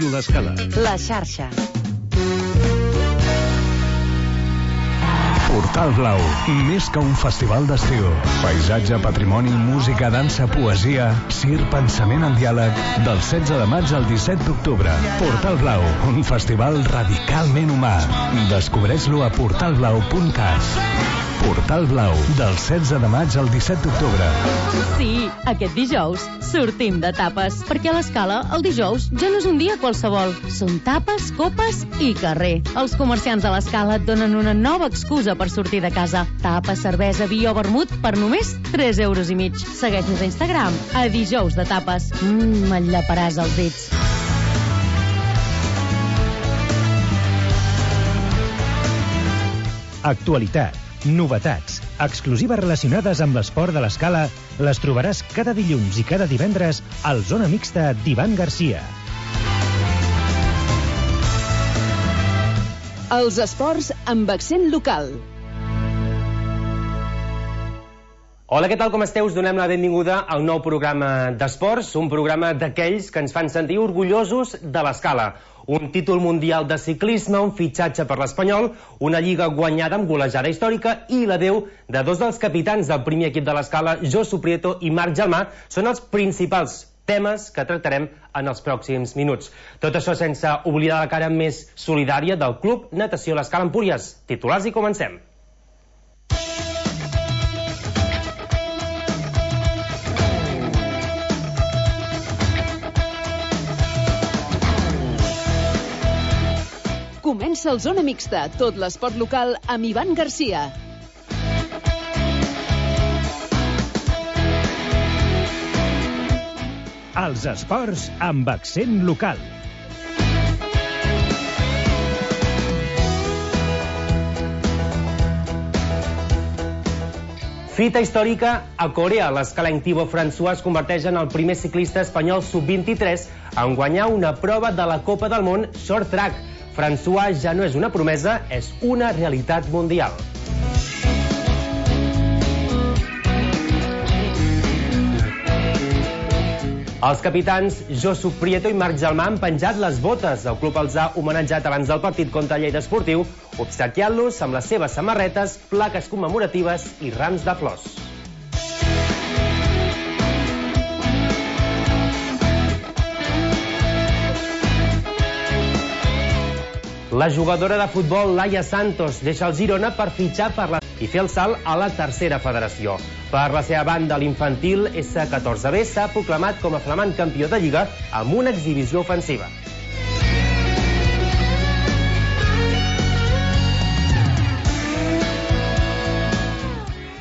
Ràdio L'Escala. La xarxa. Portal Blau, més que un festival d'estiu. Paisatge, patrimoni, música, dansa, poesia, circ, pensament en diàleg. Del 16 de maig al 17 d'octubre. Portal Blau, un festival radicalment humà. Descobreix-lo a portalblau.cat. Portal Blau, del 16 de maig al 17 d'octubre. Sí, aquest dijous sortim de tapes, perquè a l'Escala el dijous ja no és un dia qualsevol. Són tapes, copes i carrer. Els comerciants de l'Escala et donen una nova excusa per sortir de casa. Tapes, cervesa, vi o vermut per només 3,5 €. Segueix-nos a Instagram, a dijous de tapes. Et llaparàs els dits. Actualitat, novetats, exclusives relacionades amb l'esport de l'Escala les trobaràs cada dilluns i cada divendres al Zona Mixta d'Ivan Garcia. Els esports amb accent local. Hola, què tal, com esteu? Us donem la benvinguda al nou programa d'esports, un programa d'aquells que ens fan sentir orgullosos de l'Escala. Un títol mundial de ciclisme, un fitxatge per l'Espanyol, una lliga guanyada amb golejada històrica i l'adeu de dos dels capitans del primer equip de l'Escala, Josu Prieto i Marc Gelmà, són els principals temes que tractarem en els pròxims minuts. Tot això sense oblidar la cara més solidària del Club Natació l'Escala Empúries. Titulars i comencem. Comença el Zona Mixta, tot l'esport local amb Ivan Garcia. Els esports amb accent local. Fita històrica a Corea. L'escalenc Thibaut François es converteix en el primer ciclista espanyol sub-23 en guanyar una prova de la Copa del Món Short Track. François ja no és una promesa, és una realitat mundial. Els capitans Josu Prieto i Marc Gelmà han penjat les botes. El club els ha homenatjat abans del partit contra Lleida Esportiu, obsequiant-los amb les seves samarretes, plaques commemoratives i rams de flors. La jugadora de futbol Laia Santos deixa el Girona per fitxar i fer el salt a la tercera federació. Per la seva banda, l'infantil S14B s'ha proclamat com a flamant campió de Lliga amb una exhibició ofensiva.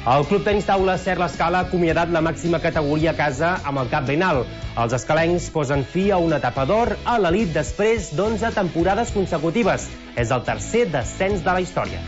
El Club Tenis Taula Ser l'Escala ha acomiadat la màxima categoria a casa amb el cap ben alt. Els escalencs posen fi a una etapa d'or a l'elit després d'11 temporades consecutives. És el tercer descens de la història.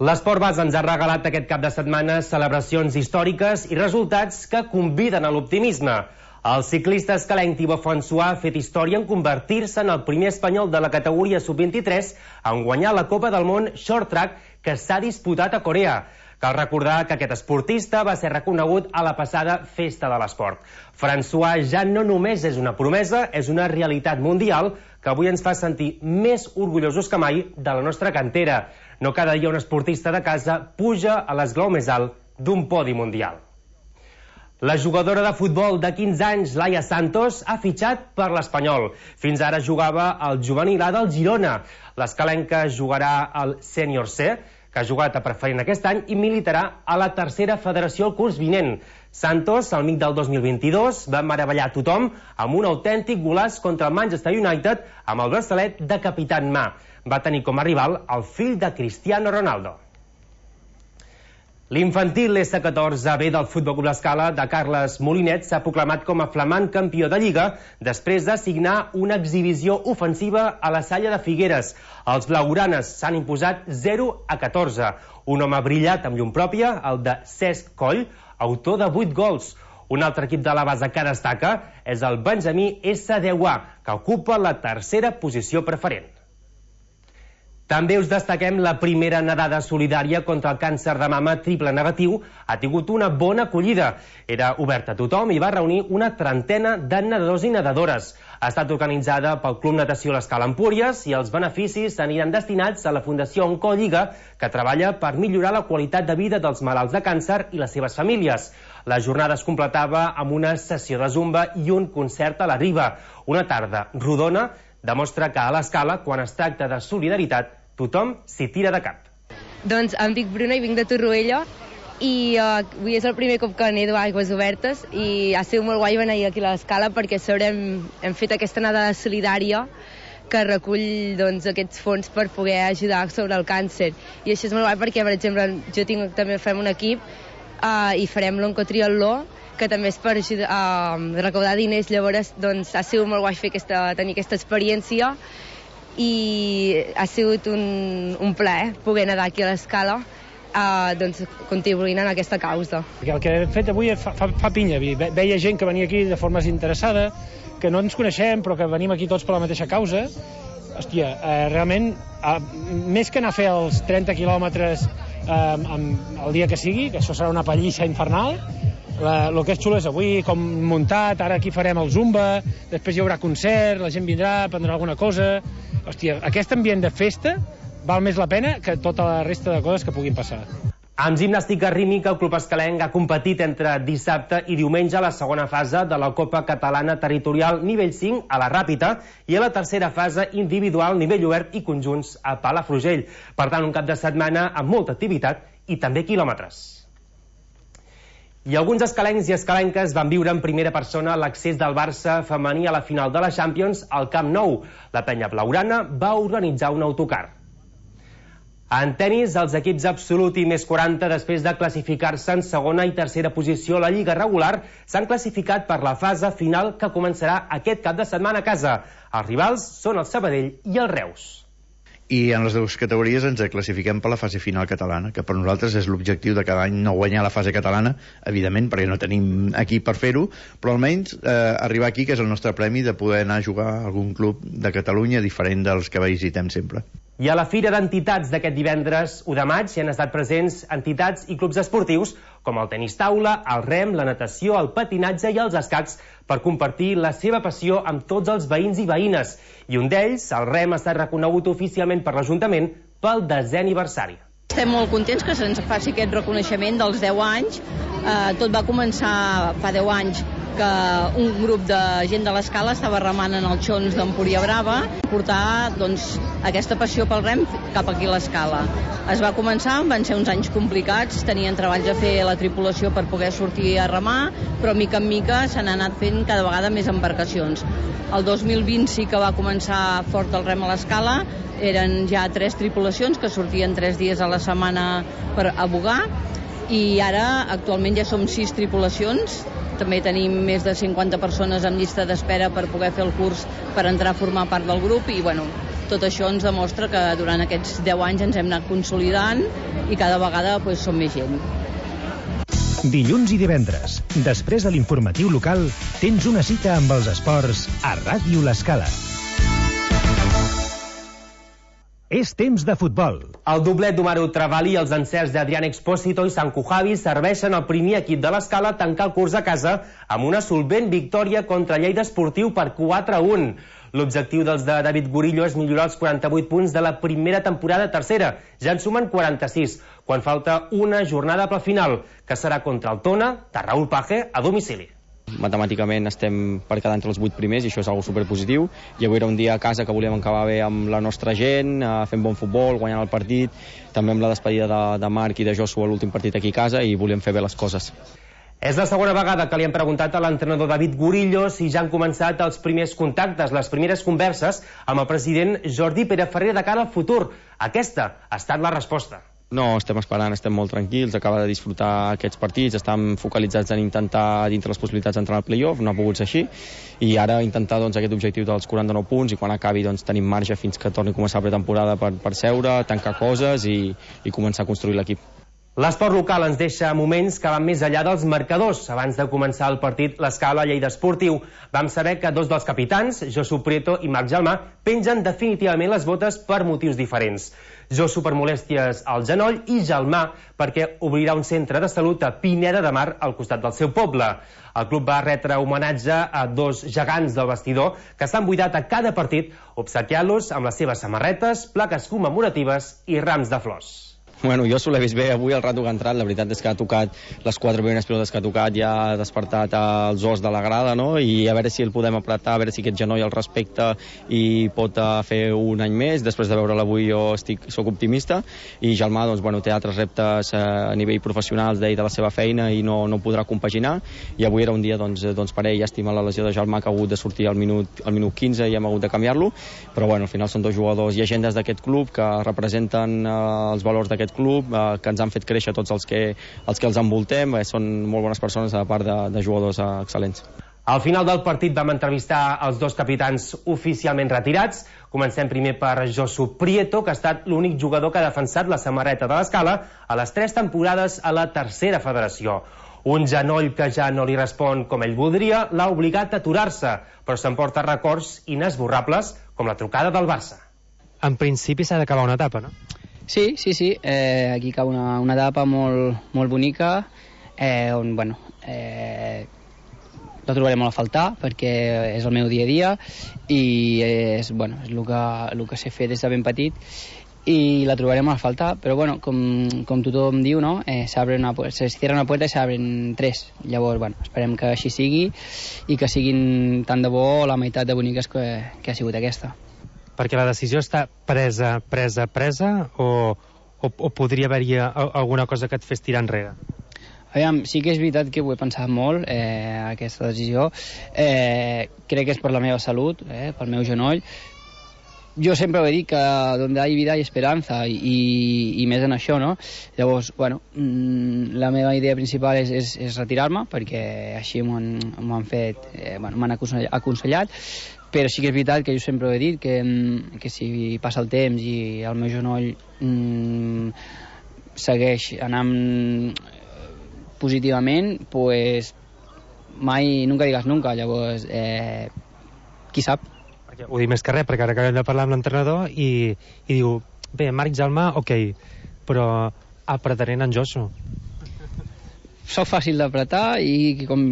L'Esport Base ens ha regalat aquest cap de setmana celebracions històriques i resultats que conviden a l'optimisme. El ciclista escalenc Thibaut François ha fet història en convertir-se en el primer espanyol de la categoria sub-23 en guanyar la Copa del Món Short Track que s'ha disputat a Corea. Cal recordar que aquest esportista va ser reconegut a la passada Festa de l'Esport. François ja no només és una promesa, és una realitat mundial que avui ens fa sentir més orgullosos que mai de la nostra cantera. No cada dia un esportista de casa puja a l'esglaó més alt d'un podi mundial. La jugadora de futbol de 15 anys, Laia Santos, ha fitxat per l'Espanyol. Fins ara jugava al juvenil A del Girona. L'escalenca jugarà al Sènior C, que ha jugat a preferent aquest any, i militarà a la tercera federació el curs vinent. Santos, al mig del 2022, va meravellar tothom amb un autèntic golaç contra el Manchester United amb el braçalet de capità en mà. Va tenir com a rival el fill de Cristiano Ronaldo. L'infantil S14B del Futbol Club l'Escala de Carles Molinet s'ha proclamat com a flamant campió de Lliga després de signar una exhibició ofensiva a la Salla de Figueres. Els blaugranes s'han imposat 0-14. Un home brillat amb llum pròpia, el de Cesc Coll, autor de 8 gols. Un altre equip de la base que destaca és el Benjamí S10A, que ocupa la tercera posició preferent. També us destaquem la primera nedada solidària contra el càncer de mama triple negatiu. Ha tingut una bona acollida. Era oberta a tothom i va reunir una trentena de nedadors i nedadores. Ha estat organitzada pel Club Natació l'Escala Empúries i els beneficis aniran destinats a la Fundació Oncolliga, que treballa per millorar la qualitat de vida dels malalts de càncer i les seves famílies. La jornada es completava amb una sessió de zumba i un concert a la Riba. Una tarda rodona demostra que a l'Escala, quan es tracta de solidaritat, tothom s'hi tira de cap. Doncs em dic Bruna i vinc de Torroella i avui és el primer cop que nedo a aigües obertes i ha sigut molt guai venir aquí a l'Escala perquè hem fet aquesta nedada solidària que recull aquests fons per poder ajudar sobre el càncer. I això és molt guai perquè, per exemple, també fem un equip i farem l'oncotriatló, que també és per recaudar diners. Llavors ha sigut molt guai tenir aquesta experiència i ha sigut un plaer poder nedar aquí a l'Escala contribuint en aquesta causa. El que hem fet avui fa pinya. Veia gent que venia aquí de forma desinteressada, que no ens coneixem però que venim aquí tots per la mateixa causa. Hòstia, realment, més que anar a fer els 30 quilòmetres el dia que sigui, que això serà una pallissa infernal, el que és xulo és avui, com muntat, ara aquí farem el zumba, després hi haurà concert, la gent vindrà, prendrà alguna cosa. Hòstia, aquest ambient de festa val més la pena que tota la resta de coses que puguin passar. Amb gimnàstica rítmica, el Club Escalenc ha competit entre dissabte i diumenge a la segona fase de la Copa Catalana Territorial nivell 5 a la Ràpita i a la tercera fase individual nivell obert i conjunts a Palafrugell. Per tant, un cap de setmana amb molta activitat i també quilòmetres. I alguns escalencs i escalenques van viure en primera persona l'accés del Barça femení a la final de la Champions al Camp Nou. La penya blaugrana va organitzar un autocar. En tenis, els equips absolut i més 40, després de classificar-se en segona i tercera posició a la Lliga regular, s'han classificat per la fase final que començarà aquest cap de setmana a casa. Els rivals són el Sabadell i el Reus. I en les dues categories ens classifiquem per la fase final catalana, que per nosaltres és l'objectiu de cada any, no guanyar la fase catalana, evidentment, perquè no tenim aquí per fer-ho, però almenys arribar aquí, que és el nostre premi de poder anar a jugar a algun club de Catalunya diferent dels que visitem sempre. I a la Fira d'Entitats d'aquest divendres 1 de maig hi han estat presents entitats i clubs esportius com el tenis taula, el rem, la natació, el patinatge i els escacs per compartir la seva passió amb tots els veïns i veïnes. I un d'ells, el rem, ha estat reconegut oficialment per l'Ajuntament pel 10è aniversari. Estem molt contents que se'ns faci aquest reconeixement dels 10 anys. Tot va començar fa 10 anys que un grup de gent de l'Escala estava remant en els xons d'Empúria Brava, portar aquesta passió pel rem cap aquí a l'Escala. Es va començar, van ser uns anys complicats, tenien treballs a fer la tripulació per poder sortir a remar, però mica en mica s'han anat fent cada vegada més embarcacions. El 2020 sí que va començar fort el rem a l'Escala, eren ja 3 tripulacions que sortien 3 dies a la setmana per abogar, i ara actualment ja som 6 tripulacions. També tenim més de 50 persones en llista d'espera per poder fer el curs per entrar a formar part del grup i tot això ens demostra que durant aquests 10 anys ens hem anat consolidant i cada vegada som més gent. Dilluns i divendres, després de l'informatiu local, tens una cita amb els esports a Ràdio l'Escala. És temps de futbol. El doblet d'Omaru Travali i els encerts d'Adrián Expósito i Sanku Javi serveixen al primer equip de l'Escala a tancar el curs a casa amb una solvent victòria contra Lleida Esportiu per 4-1. L'objectiu dels de David Gurillo és millorar els 48 punts de la primera temporada tercera. Ja en sumen 46, quan falta una jornada pel final, que serà contra el Tona de Raúl Page a domicili. Matemàticament estem per quedar entre els 8 primers i això és algo superpositiu, i avui era un dia a casa que volíem acabar bé amb la nostra gent, fent bon futbol, guanyant el partit, també amb la despedida de Marc i de Joshua a l'últim partit aquí a casa, i volíem fer bé les coses. És la segona vegada que li hem preguntat a l'entrenador David Gurillo si ja han començat els primers contactes, les primeres converses amb el president Jordi Pere-Ferrer de cara al futur. Aquesta ha estat la resposta. No, estem esperant, estem molt tranquils, acaba de disfrutar aquests partits, estem focalitzats en intentar, dintre les possibilitats, entrar al playoff, no ha pogut ser així, i ara intentar aquest objectiu dels 49 punts, i quan acabi tenim marge fins que torni a començar la pretemporada per seure, tancar coses i començar a construir l'equip. L'esport local ens deixa moments que van més enllà dels marcadors. Abans de començar el partit, l'Escala Lleida Esportiu, vam saber que dos dels capitans, Josu Prieto i Marc Gelmà, pengen definitivament les botes per motius diferents. Josu per molèsties al genoll i Gelmà perquè obrirà un centre de salut a Pineda de Mar al costat del seu poble. El club va retre homenatge a dos gegants del vestidor que s'han buidat a cada partit, obsequiant-los amb les seves samarretes, plaques commemoratives i rams de flors. Bueno, jo l'he vist bé avui el rato que ha entrat, la veritat és que ha tocat les 4 primeres pilotes que ha tocat, ja ha despertat els os de la grada, no? I a veure si el podem apretar, a veure si aquest genoll el respecta i pot fer un any més. Després de veure'l avui jo soc optimista, i Gelmà doncs, bueno, té altres reptes a nivell professional de la seva feina i no podrà compaginar, i avui era un dia doncs, per ell. Llàstima la lesió de Gelmà, que ha hagut de sortir al minut 15 i hem hagut de canviar-lo, però bueno, al final són dos jugadors llegendes d'aquest club que representen els valors d'aquest club, que ens han fet créixer tots els que els envoltem. Són molt bones persones, a part de jugadors excel·lents. Al final del partit vam entrevistar els dos capitans oficialment retirats. Comencem primer per Josu Prieto, que ha estat l'únic jugador que ha defensat la samarreta de l'Escala a les 3 temporades a la tercera federació. Un genoll que ja no li respon com ell voldria l'ha obligat a aturar-se, però s'emporta records inesborrables, com la trucada del Barça. En principi s'ha d'acabar una etapa, no? Sí. Aquí cau una etapa molt bonica, on, bueno, la trobaré molt a faltar, perquè és el meu dia a dia i és el que sé fer des de ben petit, i la trobaré molt a faltar, però bueno, com tothom diu, no? Se cierra una puerta i s'abren 3. Llavors, bueno, esperem que així sigui i que siguin tant de bo la meitat de boniques que ha sigut aquesta. Perquè la decisió està presa o podria haver-hi alguna cosa que et fes tirar enrere? Aviam, sí que és veritat que ho he pensat molt, aquesta decisió. Crec que és per la meva salut, pel meu genoll. Jo sempre he dit que donde hay vida hay esperanza, i més en això, no? Llavors, bueno, la meva idea principal és retirar-me, perquè així m'ho han fet, m'han aconsellat, però sí que és veritat que jo sempre he dit que si passa el temps i el meu genoll segueix anant positivament, pues mai, nunca digas nunca. Llavors, qui sap? Ho dic més que res, perquè ara acabem de parlar amb l'entrenador i diu, bé, Marc Gelmà, ok, però apretaré en Josu. Soc fàcil d'apretar i com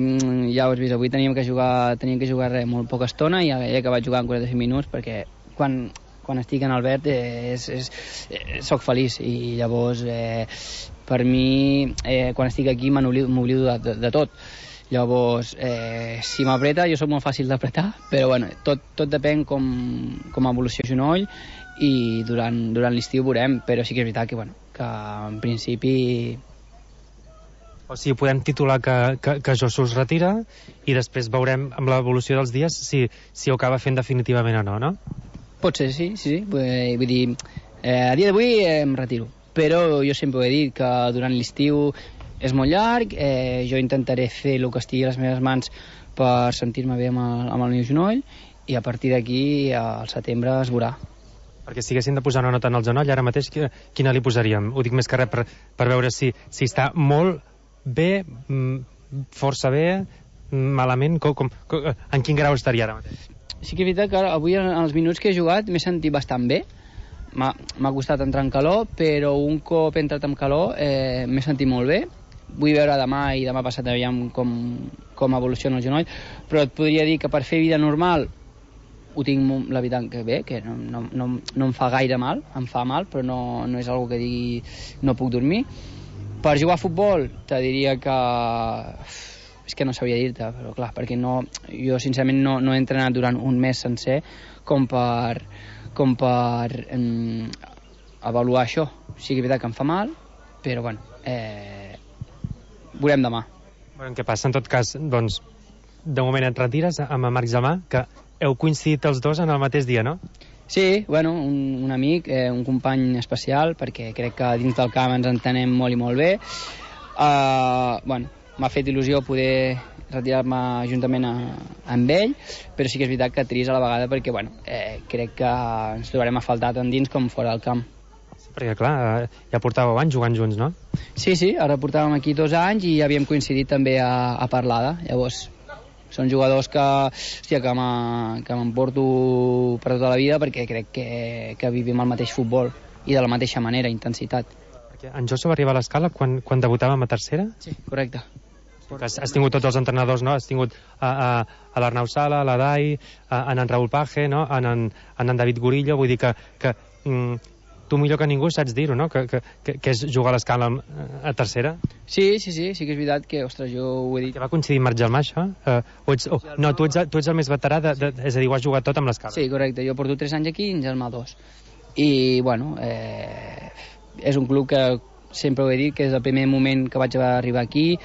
ja ho has vist, avui teníem que jugar molt poca estona i he acabat jugant 45 minuts, perquè quan estic en el verd soc feliç, i llavors per mi quan estic aquí m'oblido de tot. Llavors, si m'apreta, jo soc molt fàcil d'apretar, però bueno, tot depèn com evoluciona el genoll, i durant l'estiu veurem, però sí que és veritat que en principi... O sigui, podem titular que Josu es retira i després veurem amb l'evolució dels dies si ho acaba fent definitivament o no, no? Pot ser, sí. Vull dir, a dia d'avui em retiro, però jo sempre ho he dit que durant l'estiu és molt llarg, jo intentaré fer el que estigui a les meves mans per sentir-me bé amb el meu genoll, i a partir d'aquí al setembre es veurà. Perquè si haguéssim de posar una nota en el genoll, ara mateix quina li posaríem? Ho dic més que res per veure si està molt bé, força bé, malament, en quin grau estaria ara mateix? Sí que és veritat que avui en els minuts que he jugat m'he sentit bastant bé. M'ha costat entrar en calor, però un cop he entrat en calor m'he sentit molt bé. Vull veure demà i demà passat aviam com evoluciona el genoll, però et podria dir que per fer vida normal ho tinc la veritat que bé, que no em fa gaire mal, em fa mal, però no és algo que digui no puc dormir. Per jugar a futbol te diria que... És que no sabia dir-te, però clar, perquè jo sincerament no he entrenat durant un mes sencer com per avaluar això. Sí que és veritat que em fa mal, però bueno, veurem demà. Què passa? En tot cas, doncs, de moment et retires amb Marc Gelmà, que heu coincidit els dos en el mateix dia, no? Sí, bueno, un amic, un company especial, perquè crec que dins del camp ens entenem molt i molt bé. Bueno, m'ha fet il·lusió poder retirar-me juntament amb ell, però sí que és veritat que trist a la vegada, perquè bueno, crec que ens trobarem a faltar tant dins com fora del camp. Perquè, clar, ja portàveu anys jugant junts, no? Sí, ara portàvem aquí 2 anys i havíem coincidit també a Parlada. Llavors, són jugadors que m'emporto per tota la vida perquè crec que vivim el mateix futbol i de la mateixa manera, intensitat. Perquè en Josu va arribar a l'Escala quan debutàvem a tercera? Sí, correcte. Has tingut tots els entrenadors, no? Has tingut a l'Arnau Sala, a l'Adai, en Raúl Page, no? En David Gurillo, vull dir que tu millor que ningú saps dir-ho, no? Que és jugar a l'Escala a tercera. Sí que és veritat que, ostres, jo ho he dit. Que va coincidir amb Marc Gelmà, això? No, tu ets el més veterà, és a dir, ho has jugat tot amb l'Escala. Sí, correcte, jo porto 3 anys aquí i en Gelmà 2. I, bueno, és un club que sempre ho he dit, que és el primer moment que vaig arribar aquí,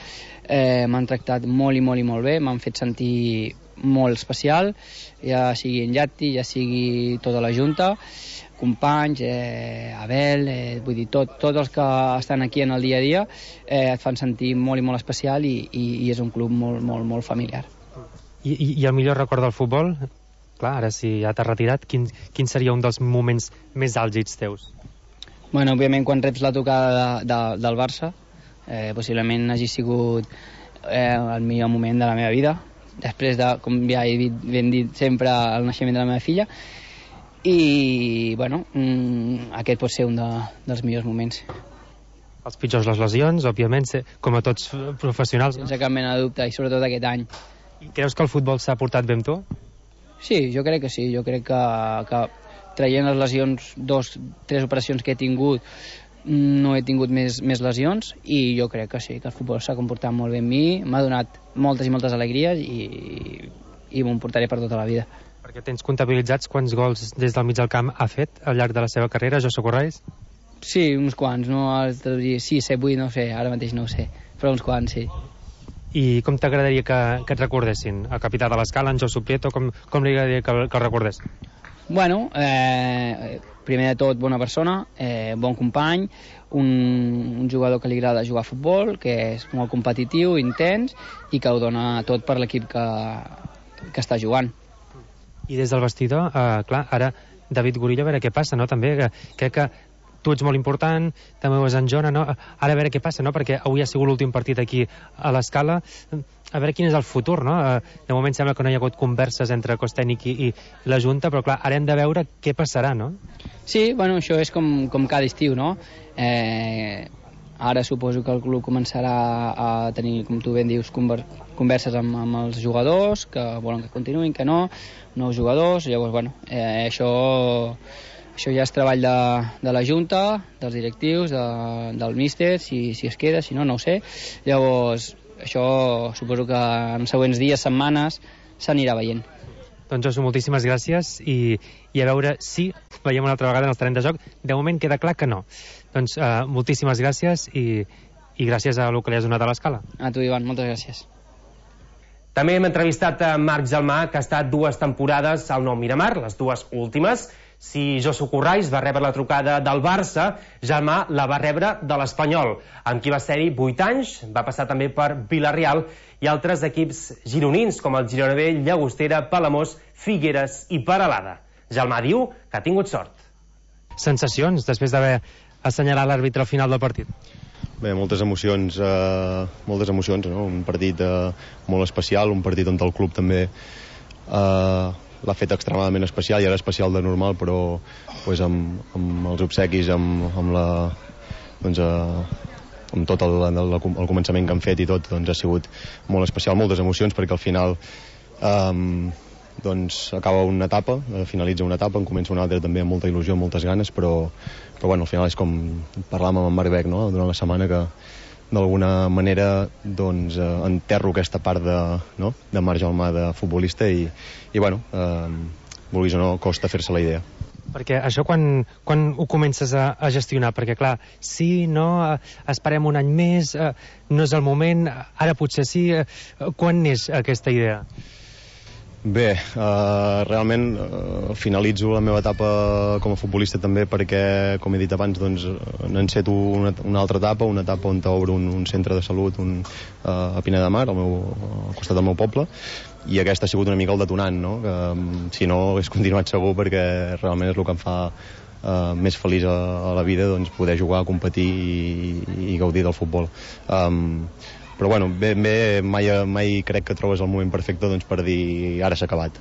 m'han tractat molt i molt bé, m'han fet sentir molt especial, ja sigui en Llatti, ja sigui tota la Junta, companys, Abel, vull dir, tots els que estan aquí en el dia a dia et fan sentir molt i molt especial i és un club molt familiar. I el millor record del futbol? Clar, ara si ja t'has retirat, quin seria un dels moments més àlgids teus? Bueno, òbviament quan reps la tocada del Barça, possiblement hagi sigut el millor moment de la meva vida, després de, com ja he dit sempre, el naixement de la meva filla, i bueno, aquest pot ser un dels millors moments. Els pitjors, les lesions, òbviament, com a tots professionals. Sense cap mena de dubte, i sobretot aquest any. I creus que el futbol s'ha portat bé amb tu? Sí, jo crec que sí. Jo crec que traient les lesions, 2-3 operacions que he tingut, no he tingut més lesions, i jo crec que sí, que el futbol s'ha comportat molt bé amb mi, m'ha donat moltes i moltes alegries i m'ho portaré per tota la vida. Perquè tens comptabilitzats quants gols des del mig del camp ha fet al llarg de la seva carrera, Josu Corrais? Sí, uns quants, no? 6, 7, 8, no ho sé, ara mateix no ho sé, però uns quants, sí. I com t'agradaria que et recordessin? El capità de l'Escala, en Josu Prieto, com li agradaria que el recordés? Bueno, primer de tot, bona persona, bon company, un jugador que li agrada jugar a futbol, que és molt competitiu, intens, i que ho dona tot per l'equip que està jugant. I des del vestidor, clar, ara David Gurillo, a veure què passa, no? També crec que tu ets molt important, també ho és en Jona, no? Ara a veure què passa, no? Perquè avui ha sigut l'últim partit aquí a l'Escala, a veure quin és el futur, no? De moment sembla que no hi ha hagut converses entre cos tècnic i la Junta, però clar, ara hem de veure què passarà, no? Sí, bueno, això és com cada estiu, no? Ara suposo que el club començarà a tenir, com tu ben dius, converses amb els jugadors, que volen que continuïn, que no, nous jugadors, llavors, bueno, això ja és treball de la Junta, dels directius, del míster, si es queda, si no, no ho sé. Llavors, això suposo que en següents dies, setmanes, s'anirà veient. Doncs Josu, moltíssimes gràcies i a veure si veiem una altra vegada en els terrenys de joc. De moment queda clar que no. Doncs moltíssimes gràcies i gràcies a el que li has donat a l'Escala. A tu, Ivan, moltes gràcies. També hem entrevistat a Marc Gelmà, que ha estat 2 temporades al Nou Miramar, les 2 últimes. Si Josu Corrais va rebre la trucada del Barça, Gelmà la va rebre de l'Espanyol, amb qui va ser-hi 8 anys, va passar també per Vila-real i altres equips gironins, com el Girona B, Llagostera, Palamós, Figueres i Peralada. Gelmà diu que ha tingut sort. Sensacions, després d'haver assenyalat l'àrbitre al final del partit? Bé, moltes emocions, no? Un partit molt especial, un partit on el club també l'ha fet extremadament especial, i era especial de normal, però pues, amb els obsequis, amb tot el començament que han fet i tot, doncs ha sigut molt especial, moltes emocions, perquè al final acaba una etapa, finalitza una etapa, en comença una altra també amb molta il·lusió, amb moltes ganes, però bueno, al final és com parlàvem amb Marc Beck, no? Durant la setmana, que d'alguna manera enterro aquesta part de Marc Gelmà de futbolista i bueno, vulguis o no, costa fer-se la idea. Perquè això quan ho comences a gestionar? Perquè clar, sí, no, esperem un any més, no és el moment, ara potser sí, quan neix aquesta idea? Bé, realment finalitzo la meva etapa com a futbolista també perquè, com he dit abans, n'enceto una altra etapa, una etapa on t'obro un centre de salut a Pineda de Mar, al costat del meu poble, i aquesta ha sigut una mica el detonant, no? Que si no hagués continuat segur, perquè realment és el que em fa més feliç a la vida, doncs poder jugar, competir i gaudir del futbol. Però bueno, mai crec que trobes el moment perfecte doncs, per dir ara s'ha acabat.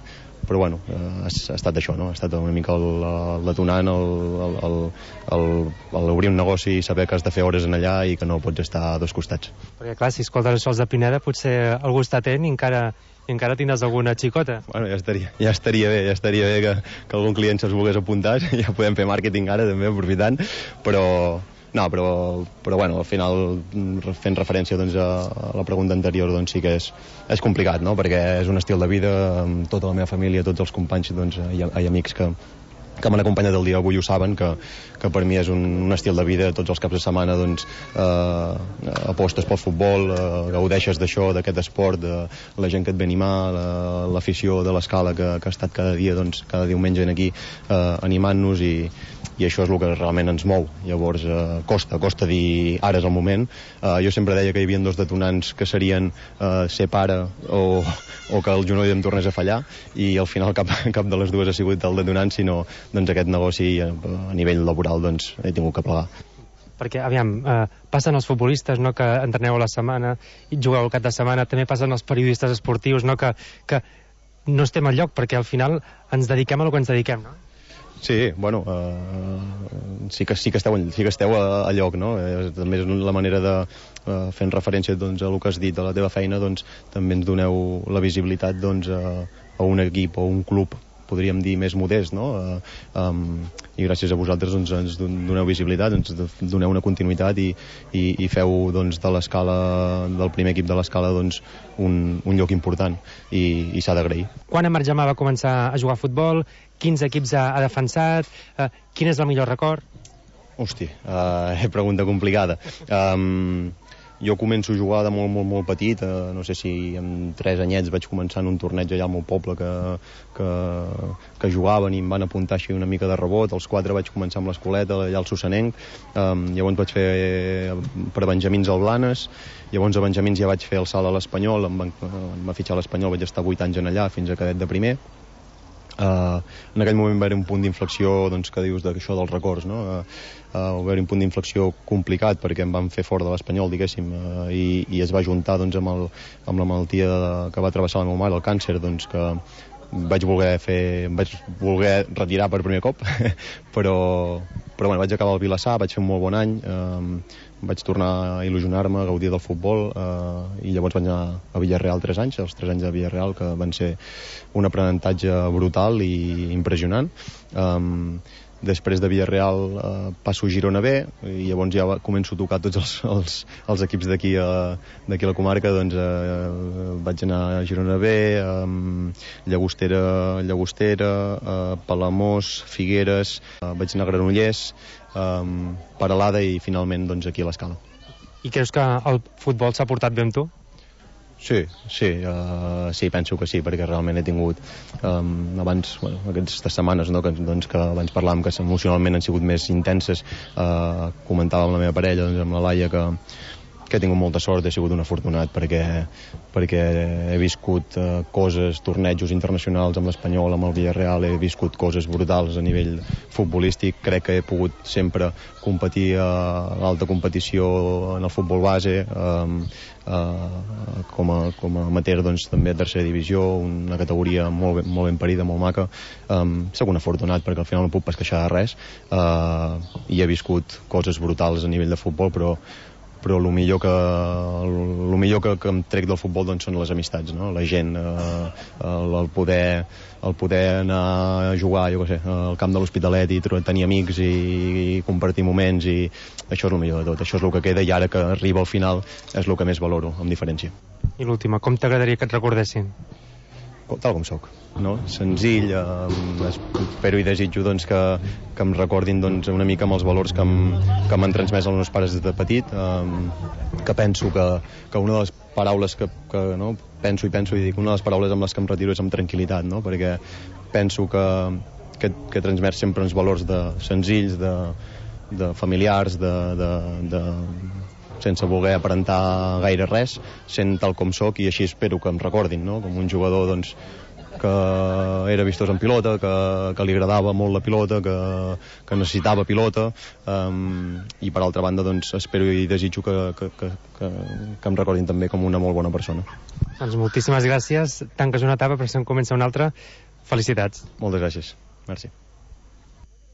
Però bueno, ha estat això, no? Ha estat una mica el detonant, obrir un negoci i saber que has de fer hores en allà i que no pots estar a dos costats. Perquè clar, si escoltes això als de Pineda, potser algú està atent i encara tindràs alguna xicota. Bueno, ja estaria bé que algun client se'ls volgués apuntar, ja podem fer màrqueting ara també aprofitant, però bueno, al final fent referència doncs, a la pregunta anterior doncs, sí que és complicat, no? Perquè és un estil de vida amb tota la meva família, tots els companys doncs, hi ha amics que m'han acompanyat el dia d'avui ho saben, que per mi és un estil de vida. Tots els caps de setmana doncs, apostes pel futbol, gaudeixes d'això, d'aquest esport, de la gent que et ve animar, l'afició de l'Escala que ha estat cada dia, doncs, cada diumenge aquí animant-nos i això és el que realment ens mou. Llavors costa dir ara és el moment. Jo sempre deia que hi havia dos detonants que serien ser pare o que el genoll em tornés a fallar, i al final cap de les dues ha sigut el detonant, sinó doncs, aquest negoci a nivell laboral doncs, he tingut que plegar. Perquè, aviam, passen els futbolistes, no?, que entreneu a la setmana i jugueu al cap de setmana, també passen els periodistes esportius, no?, que no estem al lloc, perquè al final ens dediquem a el que ens dediquem, no? Sí, bueno, sí que esteu a lloc, no? També és la manera de, fent referència doncs, a el que has dit, a la teva feina, doncs, també ens doneu la visibilitat doncs, a un equip o un club, podríem dir, més modest, no? I gràcies a vosaltres doncs, ens doneu visibilitat, ens doneu una continuïtat i feu doncs, de l'Escala, del primer equip de l'Escala, doncs, un lloc important i s'ha d'agrair. Quan en Marc Gemà va començar a jugar a futbol? Quins equips ha defensat? Quin és el millor record? Hosti, pregunta complicada. Jo començo a jugar de molt petit, no sé si amb 3 anyets vaig començar en un torneig allà al meu poble que jugaven i em van apuntar així una mica de rebot. Als 4 vaig començar amb l'escoleta allà al Sussanenc, llavors vaig fer per Benjamins al Blanes, llavors a Benjamins ja vaig fer el salt a l'Espanyol, em va fitxar a l'Espanyol, vaig estar 8 anys en allà fins a cadet de primer. En aquell moment va haver un punt d'inflexió doncs, que dius d'això dels records, no? Va haver un punt d'inflexió complicat perquè em van fer fora de l'Espanyol, diguéssim, i es va juntar doncs, amb la malaltia que va travessar la meva mare, el càncer, doncs, que vaig voler retirar per primer cop però bueno, vaig acabar al Vilassar, vaig fer un molt bon any, vaig tornar a il·lusionar-me, a gaudir del futbol, i llavors vaig anar a Villarreal 3 anys, els 3 anys de Villarreal, que van ser un aprenentatge brutal i impressionant. Després de Villarreal passo a Girona B i llavors ja començo a tocar tots els equips d'aquí a la comarca. Doncs vaig anar a Girona B, Llagostera, Palamós, Figueres, vaig anar a Granollers, Peralada i finalment doncs, aquí a l'Escala. I creus que el futbol s'ha portat bé amb tu? Sí, penso que sí, perquè realment he tingut abans, aquestes setmanes, no, que abans parlàvem que emocionalment han sigut més intenses, comentava amb la meva parella, doncs, amb la Laia, que he tingut molta sort, he sigut un afortunat perquè he viscut coses, tornejos internacionals amb l'Espanyol, amb el Villarreal, he viscut coses brutals a nivell futbolístic, crec que he pogut sempre competir a l'alta competició en el futbol base, com a amateur doncs, també a tercera divisió, una categoria molt ben parida, molt maca. Soc un afortunat perquè al final no puc pas queixar de res, i he viscut coses brutals a nivell de futbol, però el millor que em trec del futbol doncs, són les amistats, no? La gent, el poder anar a jugar, jo què sé, al camp de l'Hospitalet i tenir amics i compartir moments, i això és el millor de tot, això és el que queda, i ara que arriba al final és el que més valoro, amb diferència. I l'última, com t'agradaria que et recordessin? Tal com soc, no? Senzill, espero i desitjo doncs, que em recordin doncs, una mica amb els valors que m'han transmès els meus pares des de petit, que penso que una de les paraules que no, penso i dic, una de les paraules amb les que em retiro és amb tranquil·litat, no? Perquè penso que transmet sempre uns valors senzills, de familiars, sense voler aparentar gaire res, sent tal com sóc, i així espero que em recordin, no? Com un jugador doncs, que era vistós en pilota, que li agradava molt la pilota, que necessitava pilota, i per altra banda doncs, espero i desitjo que em recordin també com una molt bona persona. Doncs moltíssimes gràcies. Tanques una etapa, però si en comença una altra, felicitats. Moltes gràcies. Merci.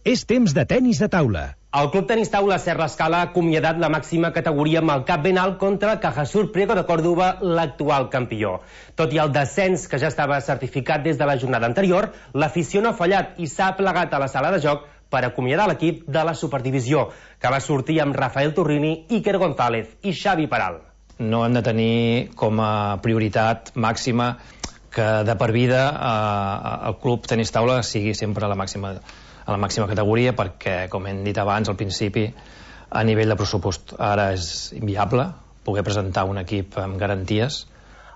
És temps de tenis de taula. El Club Tenis Taula Ser l'Escala ha acomiadat la màxima categoria amb el cap ben alt contra el Cajasur Priego de Córdoba, l'actual campió. Tot i el descens que ja estava certificat des de la jornada anterior, l'afició no ha fallat i s'ha plegat a la sala de joc per acomiadar l'equip de la Superdivisió, que va sortir amb Rafael Torrini, Iker González i Xavi Peral. No hem de tenir com a prioritat màxima que de per vida el Club Tenis Taula sigui sempre a la màxima categoria, perquè, com hem dit abans, al principi, a nivell de pressupost ara és inviable poder presentar un equip amb garanties.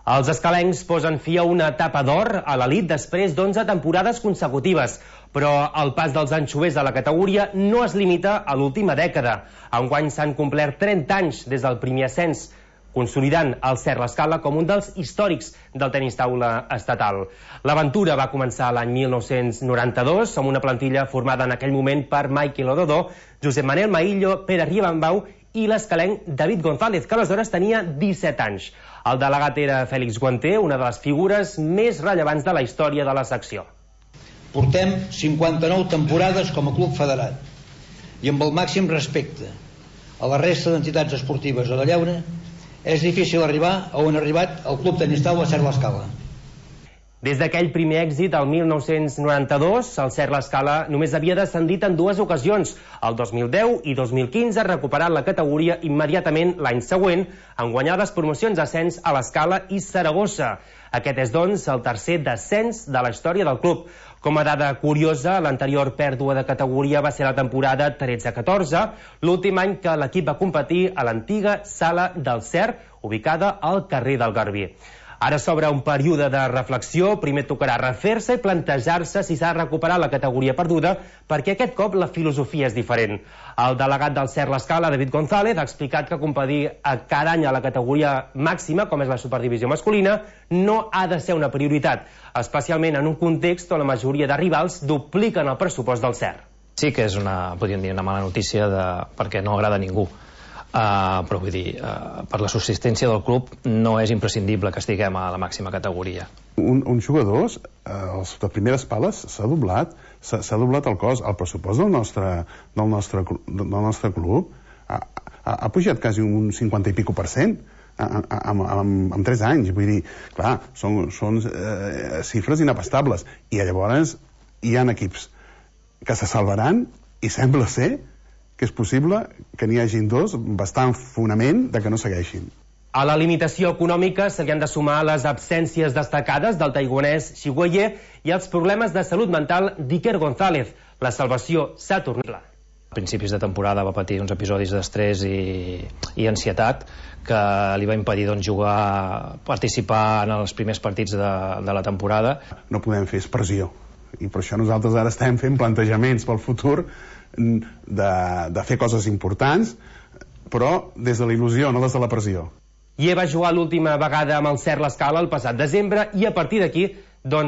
Els escalencs posen fi a una etapa d'or a l'elit després d'11 temporades consecutives, però el pas dels anxovers a la categoria no es limita a l'última dècada. Enguany s'han complert 30 anys des del primer ascens, consolidant el Ser l'Escala com un dels històrics del tenis taula estatal. L'aventura va començar l'any 1992 amb una plantilla formada en aquell moment per Michael Ododó, Josep Manel Maillo, Pere Riebambau i l'escalenc David González, que aleshores tenia 17 anys. El delegat era Fèlix Guanter, una de les figures més rellevants de la història de la secció. Portem 59 temporades com a club federat i amb el màxim respecte a la resta d'entitats esportives de la Llauna és difícil arribar a on ha arribat el Club Tenis Taula Ser l'Escala. Des d'aquell primer èxit, el 1992, el Ser l'Escala només havia descendit en 2 ocasions, el 2010 i 2015, recuperant la categoria immediatament l'any següent, en guanyar les promocions ascens a l'Escala i Saragossa. Aquest és, doncs, el tercer descens de la història del club. Com a dada curiosa, l'anterior pèrdua de categoria va ser la temporada 13-14, l'últim any que l'equip va competir a l'antiga Sala del Ser, ubicada al carrer del Garbí. Ara s'obre un període de reflexió, primer tocarà refer-se i plantejar-se si s'ha de recuperar la categoria perduda, perquè aquest cop la filosofia és diferent. El delegat del Ser l'Escala, David González, ha explicat que competir cada any a la categoria màxima, com és la Superdivisió masculina, no ha de ser una prioritat, especialment en un context on la majoria de rivals dupliquen el pressupost del Ser. Sí que és podríem dir, una mala notícia perquè no agrada a ningú. Però vull dir, per la subsistència del club no és imprescindible que estiguem a la màxima categoria. Un jugador, de primeres pales, s'ha doblat el cost. El pressupost del nostre club ha pujat quasi un 50 i pico % en 3 anys. Vull dir, clar, són xifres inabastables. I llavors hi ha equips que se salvaran i sembla ser que és possible que n'hi hagin 2 bastant fonament de que no segueixin. A la limitació econòmica se li han de sumar les absències destacades del taiwanès Xi Guoye i els problemes de salut mental d'Iker González. La salvació s'ha tornat. A principis de temporada va patir uns episodis d'estrès i ansietat que li va impedir jugar, participar en els primers partits de la temporada. No podem fer pressió i per això nosaltres ara estem fent plantejaments pel futur de fer coses importants, però des de la il·lusió, no des de la pressió. I va jugar l'última vegada amb el Ser l'Escala el passat desembre i a partir d'aquí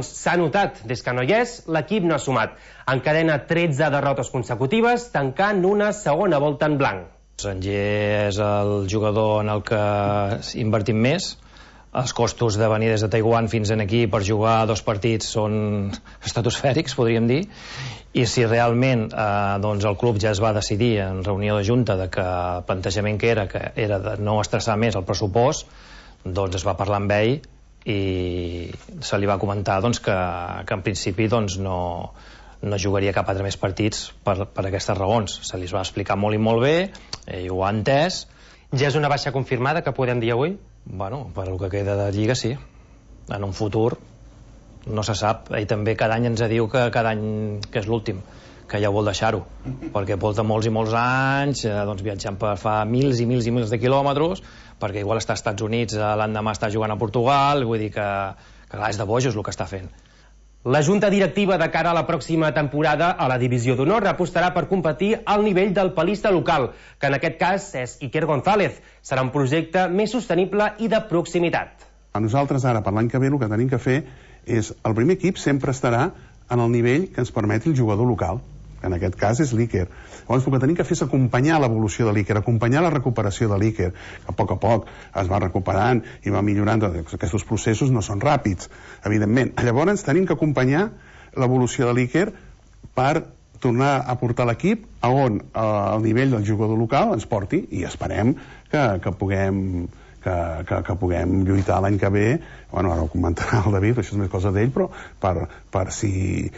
s'ha notat, des que no hi és, l'equip no ha sumat. Encadena 13 derrotes consecutives, tancant una segona volta en blanc. Sanger és el jugador en el que invertim més. Els costos de venir des de Taiwan fins aquí per jugar 2 partits són estratosfèrics, podríem dir, i si realment el club ja es va decidir en reunió de junta que el plantejament que era de no estressar més el pressupost, es va parlar amb ell i se li va comentar que en principi no jugaria cap altre més partits per aquestes raons. Se li va explicar molt i molt bé, ell ho ha entès. Ja és una baixa confirmada que podem dir avui? Bueno, per el que queda de Lliga sí. En un futur no se sap. Ell també cada any ens diu que cada any que és l'últim, que ja vol deixar-ho, perquè porta molts i molts anys viatjant per fa mils i mils i mils de quilòmetres, perquè igual està als Estats Units, l'endemà està jugant a Portugal, vull dir que clar, és de bojos el que està fent. La junta directiva de cara a la pròxima temporada a la Divisió d'Honor apostarà per competir al nivell del palista local, que en aquest cas és Iker González. Serà un projecte més sostenible i de proximitat. A nosaltres ara, per l'any que ve, el que tenim que fer és, el primer equip sempre estarà en el nivell que ens permeti el jugador local, que en aquest cas és l'Iker. Llavors el que tenim que fer és acompanyar l'evolució de l'Iker, acompanyar la recuperació de l'Iker, que a poc es va recuperant i va millorant. Aquests processos no són ràpids, evidentment. Llavors tenim que acompanyar l'evolució de l'Iker per tornar a portar l'equip a on el nivell del jugador local ens porti, i esperem que puguem lluitar l'any que ve. Bueno, ara ho comentarà el David, això és més cosa d'ell, però per si